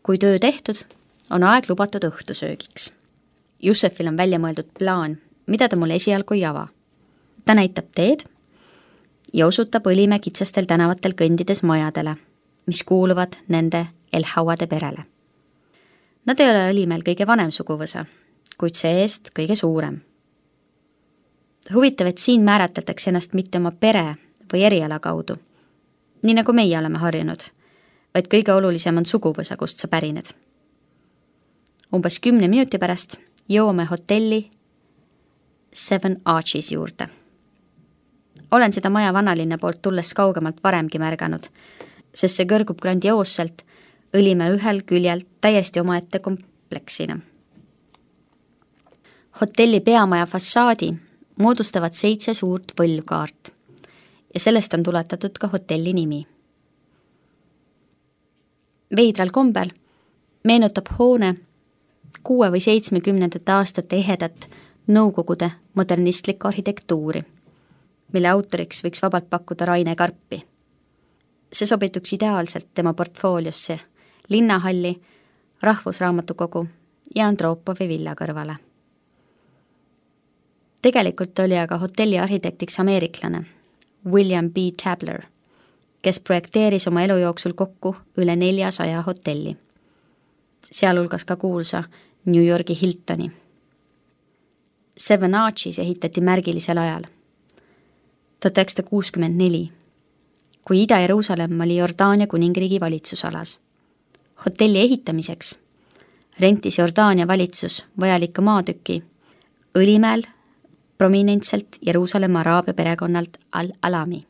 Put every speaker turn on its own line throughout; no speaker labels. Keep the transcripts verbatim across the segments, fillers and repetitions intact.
kui töö tehtud, on aeg lubatud õhtusöögiks. Jussefil on välja mõeldud plaan, mida ta mulle esialgu ei ava. Ta näitab teed ja osutab Õlimäe kitsastel tänavatel kõndides majadele, mis kuuluvad nende El Hauade perele. Nad ei ole Õlimäel kõige vanem suguvõsa, kuid see-eest kõige suurem. Huvitav, et siin määratletakse ennast mitte oma pere või eriala kaudu, nii nagu meie oleme harjunud, vaid kõige olulisem on suguvõsa, kust sa pärined. Umbes kümne minuti pärast jõuame hotelli Seven Arches juurde. Olen seda maja vanalinna poolt tulles kaugemalt varemgi märganud, sest see kõrgub grandioosselt Õlimäe ühel küljel täiesti omaette kompleksina. Hotelli peamaja fassaadi moodustavad seitse suurt võlvkaart ja sellest on tuletatud ka hotelli nimi. Veidral kombel meenutab hoone kuue või seitsmekümnendate aastate ehedat nõukogude modernistlikku arhitektuuri, mille autoriks võiks vabalt pakkuda Raine Karpi. See sobituks ideaalselt tema portfooliosse, linnahalli, rahvusraamatukogu ja Andropovi villa kõrvale. Tegelikult oli aga hotelli arhitektiks ameeriklane William B. Tabler, kes projekteeris oma elu jooksul kokku üle neljasaja hotelli, sealhulgas ka kuulsa New Yorgi Hiltoni. Seven Arches ehitati märgilisel ajal, tuhat üheksasada kuuskümmend neli, kui Ida-Jeruusalemm oli Jordaania kuningriigi valitsusalas. Hotelli ehitamiseks rentis Jordaania valitsus vajalike maatüki Õlimäel prominentselt Jeruusalemma araabia perekonnalt Al-Alami,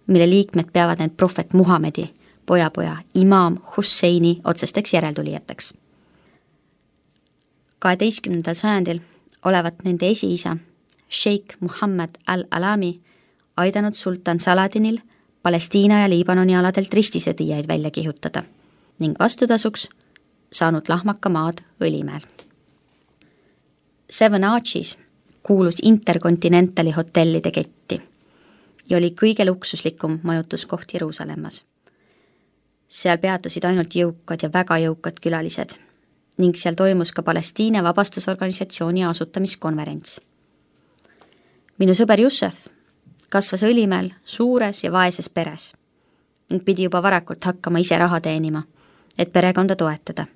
mille liikmed peavad need prohvet Muhamedi pojapoja imaam Husseini otsesteks järeltulijateks. kaheteistkümnendal sajandil olevat nende esiisa, Sheikh Muhammad Al-Alami, aidanud sultan Saladinil Palestiina ja Liibanoni aladelt ristisõdijaid välja kihutada ning vastutasuks saanud lahmaka maad Õlimäel. Seven Arches kuulus Intercontinentali hotellide ketti ja oli kõige luksuslikum majutuskoht Jeruusalemmas. Seal peatusid ainult jõukad ja väga jõukad külalised ning seal toimus ka Palestiina vabastusorganisatsiooni asutamiskonverents. Minu sõber Jussef kasvas Õlimäel suures ja vaeses peres ning pidi juba varakult hakkama ise raha teenima, et perekonda toetada.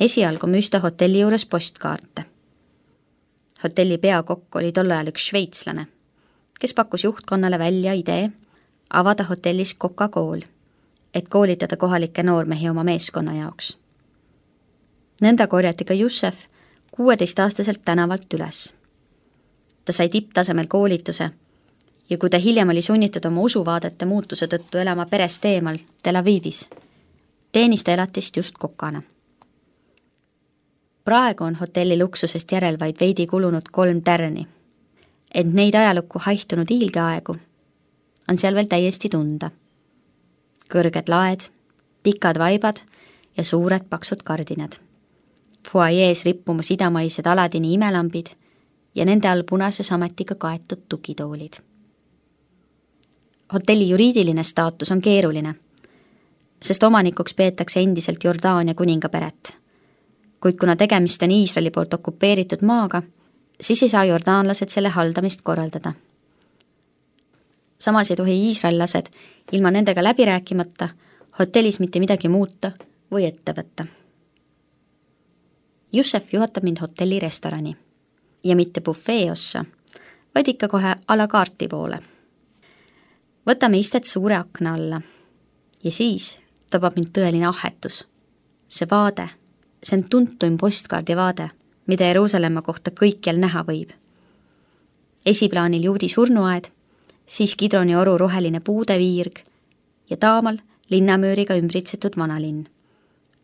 Esialgu müüs ta hotelli juures postkaarte. Hotelli peakokk oli tol ajal üks šveitslane, kes pakkus juhtkonnale välja idee avada hotellis Coca-Cool, et koolitada kohalikke noormehi oma meeskonna jaoks. Nõnda korjati ka Jussef kuueteistaastaselt tänavalt üles. Ta sai tipptasemel koolituse ja kui ta hiljem oli sunnitud oma usuvaadete muutuse tõttu elama perest eemal Tel Avivis, teenis ta elatist just kokana. Praegu on hotelli luksusest järel vaid veidi kulunud kolm tärni, ent neid ajalukku haihtunud hiilgeaegu on seal veel täiesti tunda. Kõrged laed, pikad vaibad ja suured paksud kardinad. Fuajees rippumas idamaised Aladini imelambid ja nende all punase sametiga kaetud tukitoolid. Hotelli juriidiline staatus on keeruline, sest omanikuks peetakse endiselt Jordaania kuningaperet. Kuid kuna tegemist on Iisraeli poolt okupeeritud maaga, siis ei saa jordaanlased selle haldamist korraldada. Samas ei tohi iisraellased ilma nendega läbi rääkimata hotellis mitte midagi muuta või ette võtta. Jussef juhatab mind hotelli restorani ja mitte bufee ossa, vaid ikka kohe a la carte poole. Võtame istet suure akna alla ja siis tabab mind tõeline ahetus. See vaade, see on tuntuim postkaardi vaade, mida Jeruusalemma kohta kõikjal näha võib. Esiplaanil juudi surnuaed, siis Kidroni oru roheline puudeviirg ja taamal linnamööriga ümbritsetud vanalinn,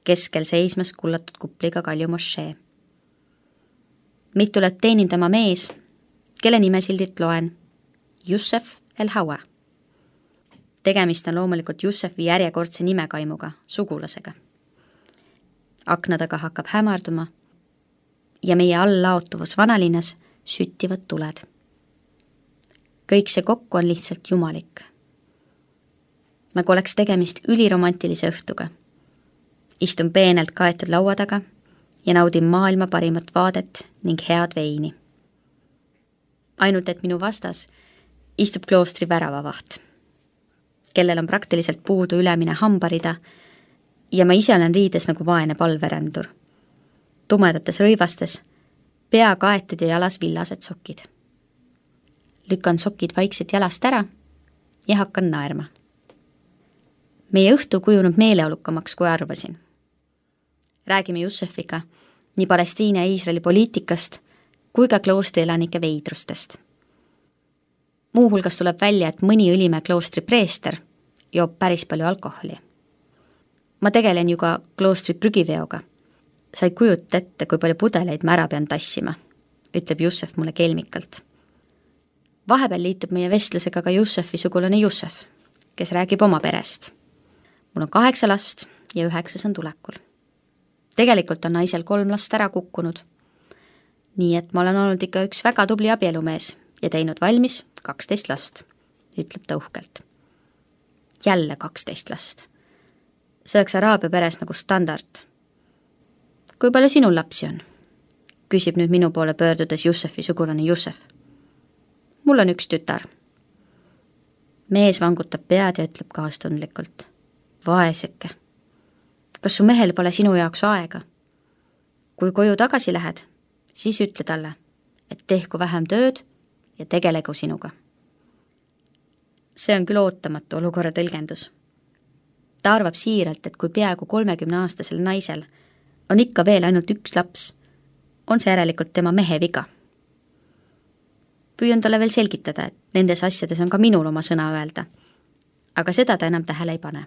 keskel seismas kullatud kupliga Kalju mošee. Meid tuleb teenindama mees, kelle nimesildit loen Jussef El Haua. Tegemist on loomulikult Jussefi järjekordse nimekaimuga, sugulasega. Akna taga hakkab hämarduma ja meie all laotuvas vanalinnas süttivad tuled. Kõik see kokku on lihtsalt jumalik. Nagu oleks tegemist üliromantilise õhtuga. Istun peenelt kaetud laua taga ja naudin maailma parimat vaadet ning head veini. Ainult, et minu vastas istub kloostri väravavaht, kellel on praktiliselt puudu ülemine hambarida ja ma ise olen riides nagu vaene palverändur. Tumedates rõivastes, pea kaetud ja jalas villased sokid. Lükkan sokid vaikselt jalast ära ja hakkan naerma. Meie õhtu kujunub meeleolukamaks, kui arvasin. Räägime Jussefiga nii Palestiina ja Iisraeli poliitikast kui ka kloostri elanike veidrustest. Muuhulgas tuleb välja, et mõni Õlimäe kloostri preester joob päris palju alkoholi. Ma tegelen ju ka kloostri prügiveoga. Sa ei kujuta ette, kui palju pudeleid ma ära pean tassima, ütleb Jussef mulle kelmikalt. Vahepeal liitub meie vestlusega ka Jussefi sugulane Jussef, kes räägib oma perest. Mul on kaheksa last ja üheksas on tulekul. Tegelikult on naisel kolm last ära kukkunud. Nii et ma olen olnud ikka üks väga tubli abielumees ja teinud valmis kaksteist last, ütleb ta uhkelt. Jälle kaksteist last. See oleks Araabia peres nagu standard. Kui palju sinul lapsi on? Küsib nüüd minu poole pöördudes Jussefi sugulane Jussef. Mul on üks tütar. Mees vangutab pead ja ütleb kaastundlikult. Vaeseke. Kas su mehel pole sinu jaoks aega? Kui koju tagasi lähed, siis ütle talle, et tehku vähem tööd ja tegelegu sinuga. See on küll ootamatu olukorra tõlgendus. Ta arvab siiralt, et kui peaaegu kolmekümne aastasel naisel on ikka veel ainult üks laps, on see järelikult tema mehe viga. Püüan talle veel selgitada, et nendes asjades on ka minul oma sõna öelda, aga seda ta enam tähele ei pane.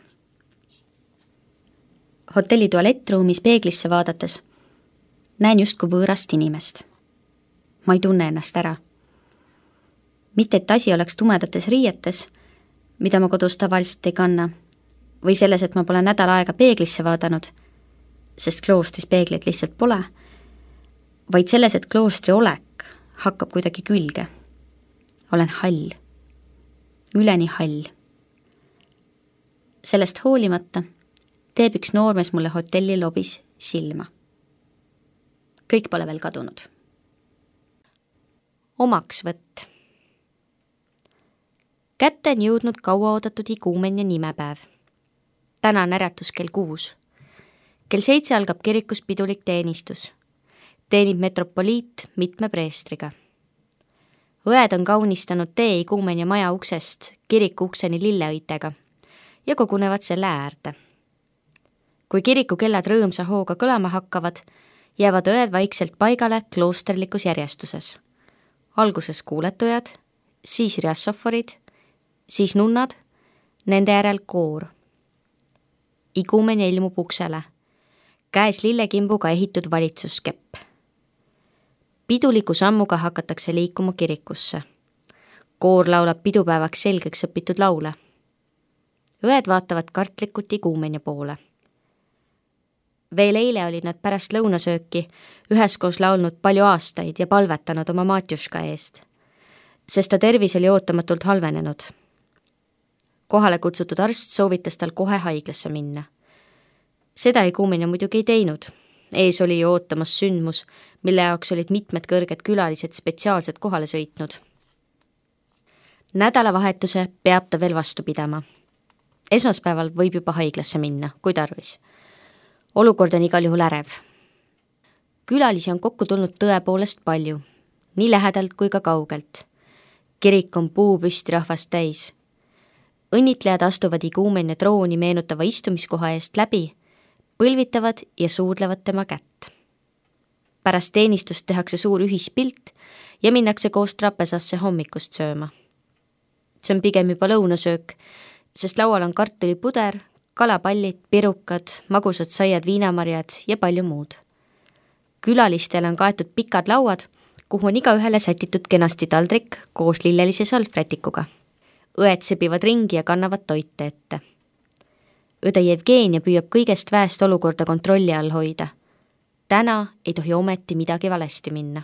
Hotelli tualettruumis peeglisse vaadates näen justkui võõrast inimest. Ma ei tunne ennast ära. Mitte, et asi oleks tumedates riietes, mida ma kodus tavaliselt ei kanna, või selles, et ma pole nädal aega peeglisse vaadanud, sest kloostris peegleid lihtsalt pole, vaid selles, et kloostri olek hakkab kuidagi külge. Olen hall. Üleni hall. Sellest hoolimata teeb üks noormees mulle hotelli lobis silma. Kõik pole veel kadunud. Omaksvõtt. Kätte on jõudnud kauaoodatud iguumenia nimepäev. Täna on äratus kell kuus. Kell seitse algab kirikus pidulik teenistus. Teenib metropoliit mitme preestriga. Õed on kaunistanud tee iguumenia maja uksest kiriku ukseni lilleõitega ja kogunevad selle äärde. Kui kiriku kellad rõõmsa hooga kõlama hakkavad, jäävad õed vaikselt paigale kloosterlikus järjestuses. Alguses kuuletujad, siis riassoforid, siis nunnad, nende järel koor. Iguumenia ilmub uksele, käes lillekimbuga ehitud valitsuskepp. Piduliku sammuga hakatakse liikuma kirikusse. Koor laulab pidupäevaks selgeks õpitud laule. Õed vaatavad kartlikult iguumenia poole. Veel eile olid nad pärast lõunasööki üheskoos laulnud palju aastaid ja palvetanud oma Matjuška eest, sest ta tervis oli ootamatult halvenenud. Kohale kutsutud arst soovitas tal kohe haiglasse minna. Seda iguumenia muidugi ei teinud. Ees oli ju ootamas sündmus, mille jaoks olid mitmed kõrged külalised spetsiaalselt kohale sõitnud. Nädalavahetuse peab ta veel vastu pidama. Esmaspäeval võib juba haiglasse minna, kui tarvis. Olukord on igal juhul ärev. Külalisi on kokku tulnud tõepoolest palju, nii lähedalt kui ka kaugelt. Kirik on puupüsti rahvast täis. Õnnitlejad astuvad iguumenia trooni meenutava istumiskoha eest läbi, põlvitavad ja suudlevad tema kätt. Pärast teenistust tehakse suur ühispilt ja minnakse koos trapesasse hommikust sööma. See on pigem juba lõunasöök, sest laual on kartulipuder, kalapallid, pirukad, magusad saiad, viinamarjad ja palju muud. Külalistele on kaetud pikad lauad, kuhu on iga ühele sätitud kenasti taldrik koos lillelise salvrätikuga. Õed sebivad ringi ja kannavad toite ette. Õde Jevgenia püüab kõigest väest olukorda kontrolli all hoida. Täna ei tohi ometi midagi valesti minna.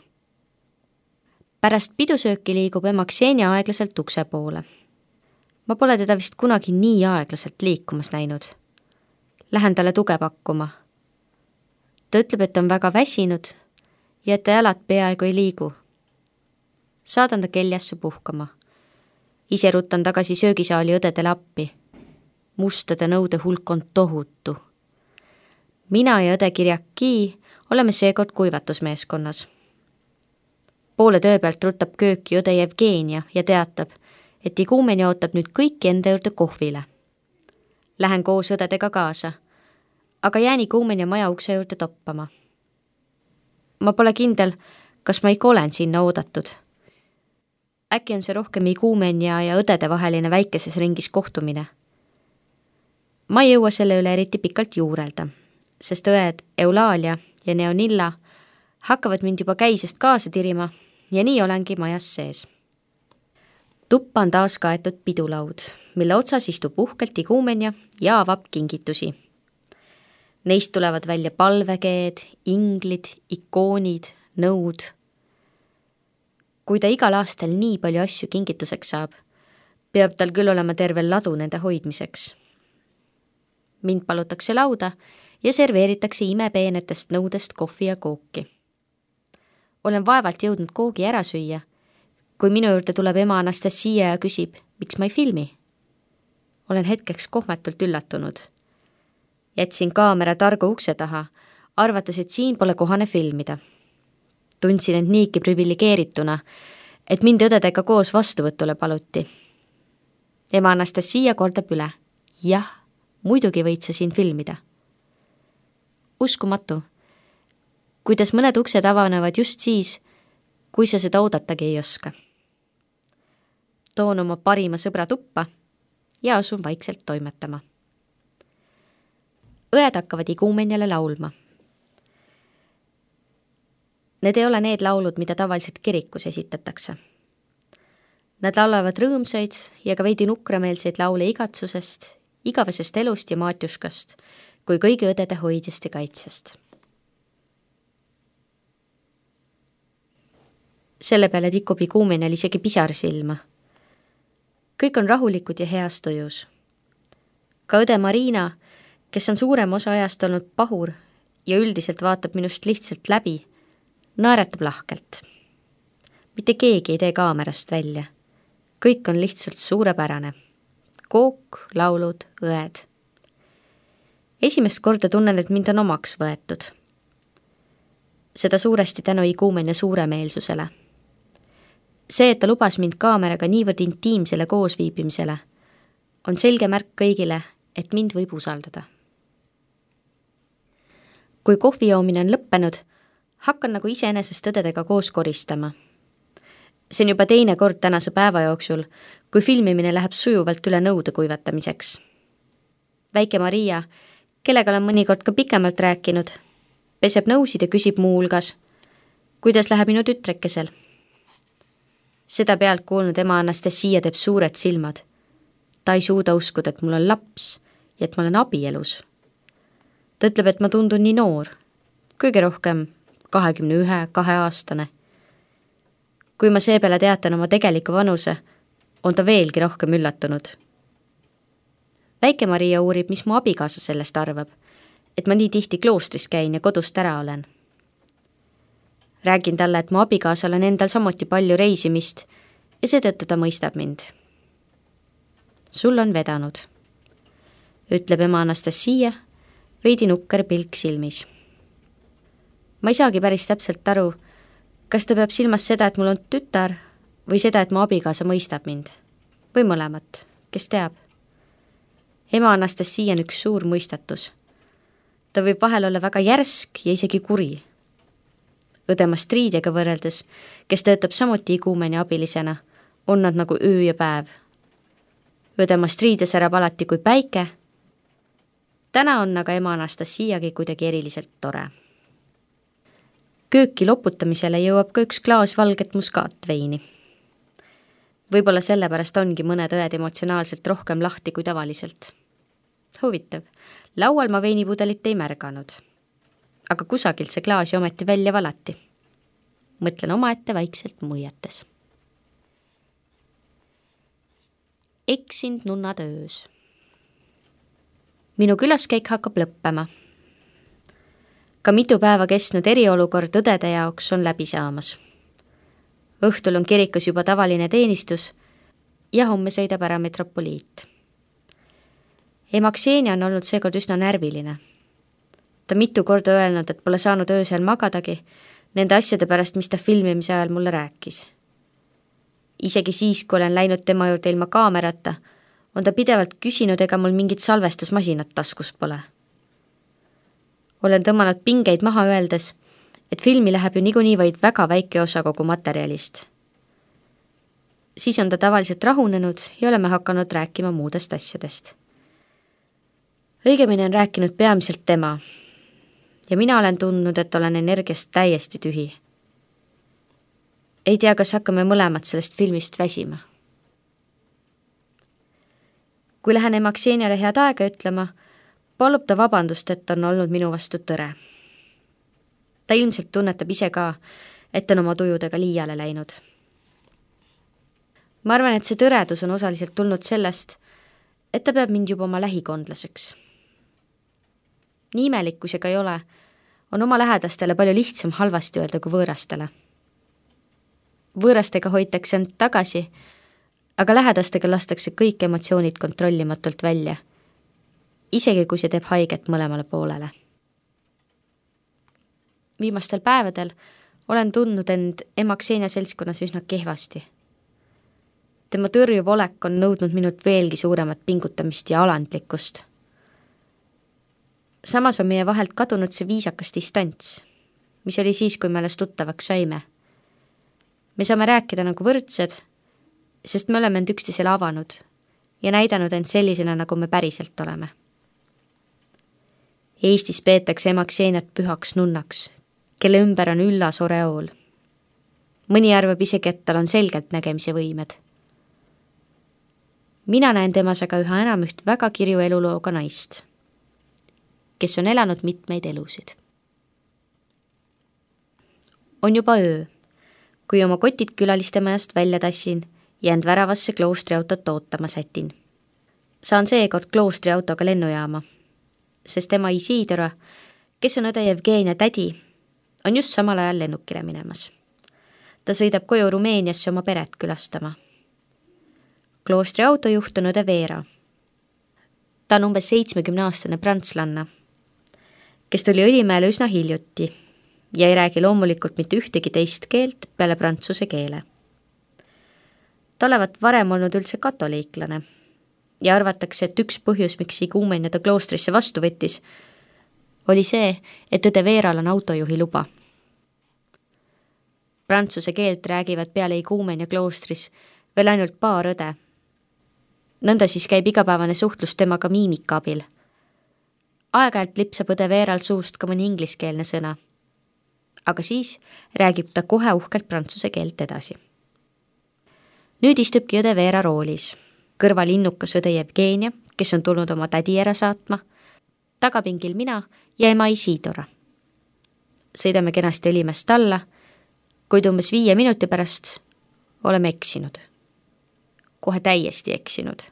Pärast pidusööki liigub ema Ksenia aeglaselt ukse poole. Ma pole teda vist kunagi nii aeglaselt liikumas näinud. Lähen talle tuge pakkuma ta ütleb, et on väga väsinud ja et ta jalad peaaegu ei liigu. Saadan ta keljasse puhkama. Ise rutan tagasi söögisaali õdedele appi. Mustade nõude hulk on tohutu. Mina ja õde Kirjaki oleme seekord kuivatusmeeskonnas. Poole töö pealt rutab kööki õde Jevgenia ja teatab, et iguumeni ootab nüüd kõiki enda juurde kohvile. Lähen koos õdedega kaasa, aga jään iguumeni maja ukse juurde toppama. Ma pole kindel, kas ma ikka olen sinna oodatud. Äkki on see rohkem iguumen ja, ja õdede vaheline väikeses ringis kohtumine. Ma ei jõua selle üle eriti pikalt juurelda, sest õed Eulaalia ja Neonilla hakkavad mind juba käisest kaasa tirima ja nii olengi majas sees. Tuppa on taas kaetud pidulaud, mille otsas istub uhkelt iguumenja ja avab kingitusi. Neist tulevad välja palvekeed, inglid, ikoonid, nõud. Kui ta igal aastal nii palju asju kingituseks saab, peab tal küll olema terve ladu nende hoidmiseks. Mind palutakse lauda ja serveeritakse imepeenetest nõudest kohvi ja kooki. Olen vaevalt jõudnud koogi ära süüa, kui minu juurde tuleb ema Anastasia ja küsib, miks ma ei filmi. Olen hetkeks kohmetult üllatunud. Jätsin kaamera targu ukse taha, arvates, et siin pole kohane filmida. Tundsin end niiki privilegeerituna, et mind õdedega koos vastuvõtule paluti. Ema Anastasia kordab üle. Jah, muidugi võid sa siin filmida. Uskumatu, kuidas mõned uksed avanevad just siis, kui sa seda oodatagi ei oska. Toon oma parima sõbra tuppa ja asun vaikselt toimetama. Õed hakkavad iguumenjale laulma. Need ei ole need laulud, mida tavaliselt kirikus esitatakse. Nad laulavad rõõmsaid ja ka veidi nukrameelseid laule igatsusest, igavesest elust ja maatjuskast, kui kõigi õdede hoidjast ja kaitsest. Selle peale tikub iguumenjal isegi pisar silma. Kõik on rahulikud ja heas tujus. Ka õde Marina, kes on suurem osa ajast olnud pahur ja üldiselt vaatab minust lihtsalt läbi, naeratab lahkelt. Mitte keegi ei tee kaamerast välja. Kõik on lihtsalt suurepärane. Kook, laulud, õed. Esimest korda tunnen, et mind on omaks võetud. Seda suuresti tänu iguumenja suuremeelsusele. See, et ta lubas mind kaameraga niivõrd intiimsele koosviibimisele, on selge märk kõigile, et mind võib usaldada. Kui kohvi joomine on lõppenud, hakkan nagu iseenesest õdedega koos koristama. See on juba teine kord tänase päeva jooksul, kui filmimine läheb sujuvalt üle nõude kuivatamiseks. Väike Maria, kellega olen mõnikord ka pikemalt rääkinud, peseb nõusid ja küsib muu hulgas, kuidas läheb minu tütrekesel. Seda pealt kuulnud ema Anastasia teeb suured silmad. Ta ei suuda uskuda, et mul on laps ja et ma olen abielus. Ta ütleb, et ma tundun nii noor, kõige rohkem kahekümne ühe, kahe aastane. Kui ma seepeale teatan oma tegeliku vanuse, on ta veelgi rohkem üllatunud. Väike Maria uurib, mis mu abikaasa sellest arvab, et ma nii tihti kloostris käin ja kodust ära olen. Räägin talle, et mu abikaasal on endal samuti palju reisimist ja seetõttu ta mõistab mind. Sul on vedanud, ütleb ema Anastasia, veidi nukker pilk silmis. Ma ei saagi päris täpselt aru, kas ta peab silmas seda, et mul on tütar või seda, et mu abikaasa mõistab mind. Või mõlemat, kes teab. Ema Anastasia on üks suur mõistatus. Ta võib vahel olla väga järsk ja isegi kuri. Õde Mastriidega võrreldes, kes töötab samuti iguumenja abilisena, on nad nagu öö ja päev. Õde Mastriide särab alati kui päike. Täna on aga ema Anastasiagi kuidagi eriliselt tore. Kööki loputamisele jõuab ka üks klaas valget muskaatveini. Võib-olla sellepärast ongi mõned õed emotsionaalselt rohkem lahti kui tavaliselt. Huvitav, laual ma veinipudelit ei märganud. Aga kusagilt see klaasi ometi välja valati. Mõtlen omaette vaikselt muiates. Eksind nunnad öös. Minu külaskäik hakkab lõppema. ka mitu päeva kestnud eriolukord õdede jaoks on läbi saamas. Õhtul on kirikus juba tavaline teenistus ja homme sõidab ära metropoliit. Ema Ksenia on olnud seekord üsna närviline. Ta mitu korda öelnud, et pole saanud öösel magadagi nende asjade pärast, mis ta filmimise ajal mulle rääkis. Isegi siis, kui olen läinud tema juurde ilma kaamerata, on ta pidevalt küsinud, ega mul mingit salvestusmasinat taskus pole. Olen tõmmanud pingeid maha öeldes, et filmi läheb ju niikuinii vaid väga väike osa kogu materjalist. Siis on ta tavaliselt rahunenud ja oleme hakanud rääkima muudest asjadest. Õigemini on rääkinud peamiselt tema ja mina olen tundnud, et olen energiast täiesti tühi. Ei tea, kas hakkame mõlemad sellest filmist väsima. Kui lähen ema Kseniale head aega ütlema, palub ta vabandust, et on olnud minu vastu tõre. Ta ilmselt tunnetab ise ka, et on oma tujudega liiale läinud. Ma arvan, et see tõredus on osaliselt tulnud sellest, et ta peab mind juba oma lähikondlaseks. Nii imelik, kui see ka ei ole, on oma lähedastele palju lihtsam halvasti öelda kui võõrastele. Võõrastega hoitakse end tagasi, aga lähedastega lastakse kõik emotsioonid kontrollimatult välja, isegi kui see teeb haiget mõlemale poolele. Viimastel päevadel olen tundnud end ema Ksenia seltskonnas üsna kehvasti. Tema tõrjuv olek on nõudnud minult veelgi suuremat pingutamist ja alandlikkust. Samas on meie vahelt kadunud see viisakas distants, mis oli siis, kui me alles tuttavaks saime. Me saame rääkida nagu võrdsed, sest me oleme end üksteisele avanud ja näidanud end sellisena, nagu me päriselt oleme. Eestis peetakse ema Kseniat pühaks nunnaks, kelle ümber on üllas oreool. Mõni arvab isegi, et tal on selgelt nägemise võimed. Mina näen temas aga üha enam üht väga kirju elulooga naist, kes on elanud mitmeid elusid. On juba öö, kui oma kotid külaliste majast välja tassin ja end väravasse kloostriautot ootama sätin. Saan seekord kloostriautoga lennujaama, sest ema Isidora, kes on õde Jevgenia tädi, on just samal ajal lennukile minemas. Ta sõidab koju Rumeeniasse oma peret külastama. Kloostri autojuht on õde Veera. Ta on umbes seitsmekümneaastane prantslanna, kes tuli Õlimäele üsna hiljuti ja ei räägi loomulikult mitte ühtegi teist keelt peale prantsuse keele. Ta olevat varem olnud üldse katoliiklane ja arvatakse, et üks põhjus, miks Iguumen ta kloostrisse vastu võttis, oli see, et õde Veeral on autojuhi luba. Prantsuse keelt räägivad peale Iguumen ja kloostris veel ainult paar õde. Nõnda siis käib igapäevane suhtlus temaga miimika abil. Aeg-ajalt lipsab õde Veeral suust ka mõni ingliskeelne sõna, aga siis räägib ta kohe uhkelt prantsuse keelt edasi. Nüüd istubki õde Veera roolis, kõrval innukas õde Jevgenia, kes on tulnud oma tädi ära saatma, tagapingil mina ja ema Isidora. Sõidame kenasti Õlimäest alla, kuid umbes viie minuti pärast oleme eksinud. Kohe täiesti eksinud.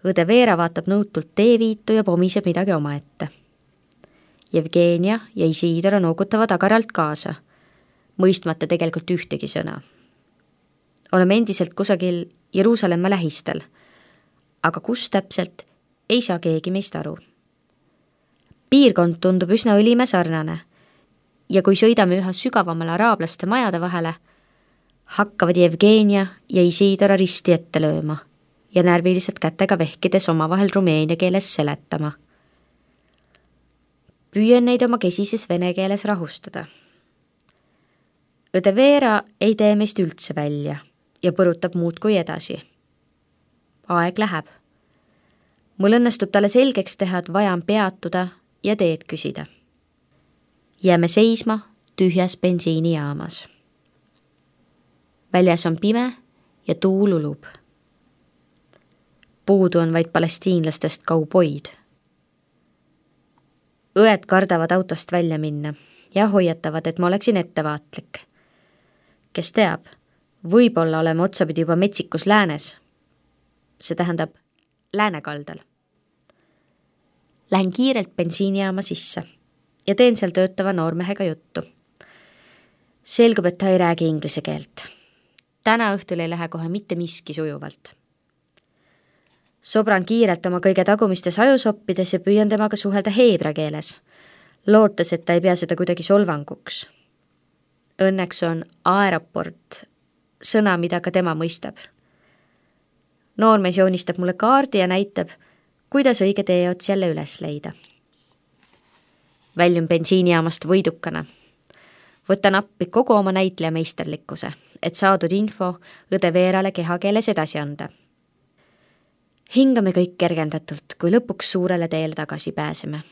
Õde Veera vaatab nõutult teeviitu ja pomiseb midagi omaette. Jevgenia ja Isidora noogutavad agaralt kaasa, mõistmata tegelikult ühtegi sõna. Oleme endiselt kusagil Jeruusalemma lähistel, aga kus täpselt ei saa keegi meist aru. Piirkond tundub üsna Õlimäe sarnane ja kui sõidame üha sügavamale araablaste majade vahele, hakkavad Jevgenia ja Isidora risti ette lööma ja närviliselt kätega vehkides omavahel rumeenia keeles seletama. Püüen neid oma kesises vene keeles rahustada. Õde Veera ei tee meist üldse välja ja põrutab muud kui edasi. Aeg läheb. Mul õnnestub talle selgeks teha, et vaja on peatuda ja teed küsida. Jääme seisma tühjas bensiinijaamas. Väljas on pime ja tuul ulub. Puudu on vaid palestiinlastest kauboid. Õed kardavad autost välja minna ja hoiatavad, et ma oleksin ettevaatlik. Kes teab, võib-olla oleme otsapidi juba metsikus läänes. See tähendab läänekaldal. Lähen kiirelt bensiinijaama sisse ja teen seal töötava noormehega juttu. Selgub, et ta ei räägi inglise keelt. Täna õhtul ei lähe kohe mitte miski sujuvalt. Sobran kiirelt oma kõige tagumistes ajusoppides ja püüan temaga suhelda heebra keeles, lootes, et ta ei pea seda kuidagi solvanguks. Õnneks on aeroport sõna, mida ka tema mõistab. Noormees joonistab mulle kaardi ja näitab, kuidas õige tee ots jälle üles leida. Väljun bensiinijaamast võidukana. Võtan appi kogu oma näitleja meisterlikkuse, et saadud info õde Veerale kehakeeles edasi anda. Hingame kõik kergendatult, kui lõpuks suurele teele tagasi pääseme.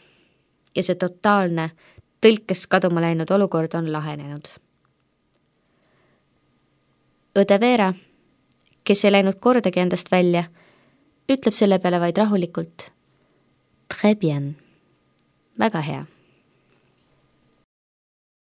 Ja see totaalne tõlkes kaduma läinud olukord on lahenenud. Õde Veera, kes ei läinud kordagi endast välja, ütleb selle peale vaid rahulikult Très bien. Väga hea.